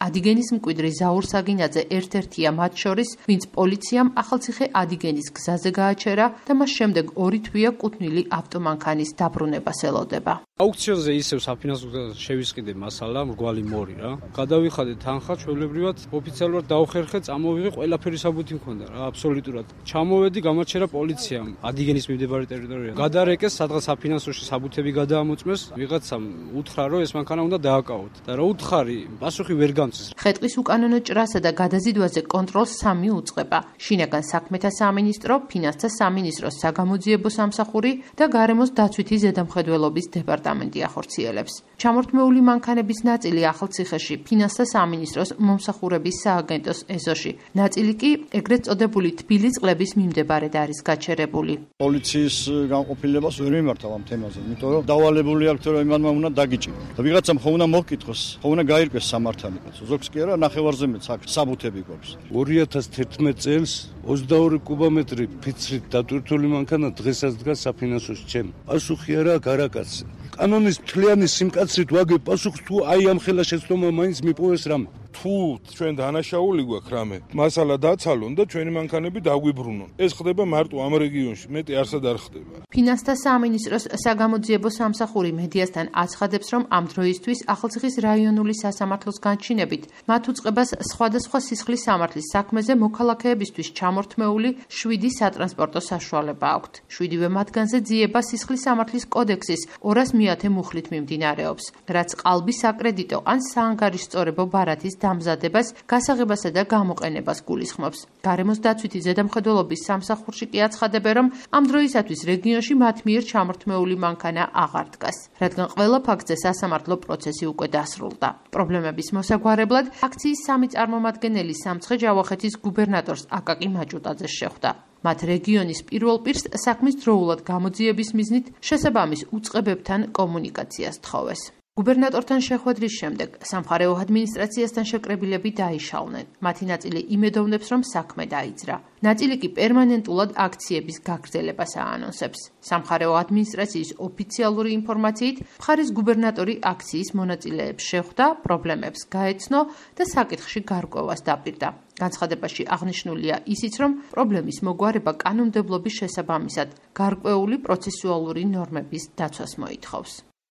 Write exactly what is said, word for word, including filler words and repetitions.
ადიგენის მკვიდრი ზაურ საგინაძე ერთ-ერთია მათ შორის, ვინც პოლიციამ ახალციხე ადიგენის გზაზე გააჩერა და მას შემდეგ ორი თვეა კუთვნილი ავტომანქანის დაბრუნებას ელოდება. აუქციონზე ისევ საფინანსო შევისყიდე მასალა, მრგვალი მორი რა. გადავიხადე თანხა, ჩვეულებრივად ოფიციალურად დავხერხე, წამოვიღე, ყველაფერი საბუთი მქონდა რა, აბსოლუტურად. ჩამოვედი, გამაჩერა პოლიციამ ადიგენის მიმდებარე ტერიტორიაზე. გადარეკეს, სადღაც საფინანსოში საბუთები გადაამოწმეს, ვიღაცამ უთხრა, რომ ეს მანქანა უნდა დააკავოთ. და რა უთხარი, პასუხი ვერ გამწეს. ხეტყის უკანონო ჭრასა და გადაზიდვაზე კონტროლს სამი უწყება: შინაგან საქმეთა სამინისტრო, ფინანსთა სამინისტროს საგამოძიებო სამსახური და გარემოს დაცვითი ზედამხედველობის დეპარტამენტი ახორციელებს. ჩამორთმეული მანქანების ნაწილი ახალციხეში ფინანსთა სამინისტროს მომსახურების სააგენტოს ეზოში, ნაწილი კი ეგრეთ წოდებული თბილი წყლების მიმდებარედ არის გაჩერებული. პოლიციის განყოფილებას ვერ მიმართავ ამ თემაზე, იმიტომ რომ დავალებული აქვს რომ იმანმა უნდა დაგიჭიროს. და ვიღაცამ ხო უნდა მოკითხოს, ხო უნდა გაირკვეს სამართალი კაცო. ზოგს კი არა, ნახევარზე მეც აქ საბუთები გვაქვს. ორი ათას თერთმეტ წელს ოცდაორი კუბომეტრი ფიცრით დატვირთული მანქანა დღესაც დგას საფინანსოში ჩემ. პასუხი არა გარაკაცი. კანონის მთლიანი სიმკაცრით ვაგებ პასუხს თუ აი ამ ხელა შეცდომა მაინც მიპოვეს რამე. თუ ჩვენ დანაშაული გვაქვს რამე, მასალა დაცალონ და ჩვენი მანქანები დაგვიბრუნონ. ეს ხდება მარტო ამ რეგიონში, მეტი არსად არ ხდება. ფინანსთა სამინისტროს საგამოძიებო სამსახური მედიასთან აცხადებს, რომ ამ დროისთვის ახალციხის რაიონული სასამართლოს განჩინებით მათ უწყებას სხვადასხვა სისხლის სამართლის საქმეზე მოქალაქეებისთვის ჩამორთმეული შვიდი სატრანსპორტო საშუალება აქვთ. შვიდივე მათგანზე ძიება სისხლის სამართლის კოდექსის ორას მეათე მუხლით მიმდინარეობს, რაც ყალბის აკრედიტო ან საანგარიშწორებო ბარათის დამზადებას, გასაღებასა და გამოყენებას გულისხმობს. გარემოს დაცვითი ზედამხედველობის სამსახურში კი აცხადებენ, რომ ამ დროისათვის რეგიონში მათ მიერ ჩამორთმეული მანქანა აღარ დგას, რადგან ყველა ფაქტზე სასამართლო პროცესი უკვე დასრულდა. პრობლემების მოსაგვარებლად აქციის სამი წარმომადგენელი სამცხე ჯავახეთის გუბერნატორს აკაკი მაჭუტაძეს შეხვდა. მათ რეგიონის პირველ პირს საქმის დროულად გამოძიების მიზნით შესაბამის უწყებებთან კომუნიკაციას თხოვეს. გუბერნატორთან შეხვედრის შემდეგ სამხარეო ადმინისტრაციასთან შეკრებილები დაიშალნენ. მათი ნაწილი იმედოვნებს, რომ საქმე დაიძრა. ნაწილი კი პერმანენტულად აქციების გაგრძელებას აანონსებს. სამხარეო ადმინისტრაციის ოფიციალური ინფორმაციით, მხარის გუბერნატორი აქციის მონაწილეებს შეხვდა, პრობლემებს გაეცნო და საკითხში გარკვევას დაპირდა. განცხადებაში აღნიშნულია ისიც, რომ პრობლემის მოგვარება კანონმდებლობის შესაბამისად გარკვეული პროცესუალური ნორმების დაცვას მოითხოვს.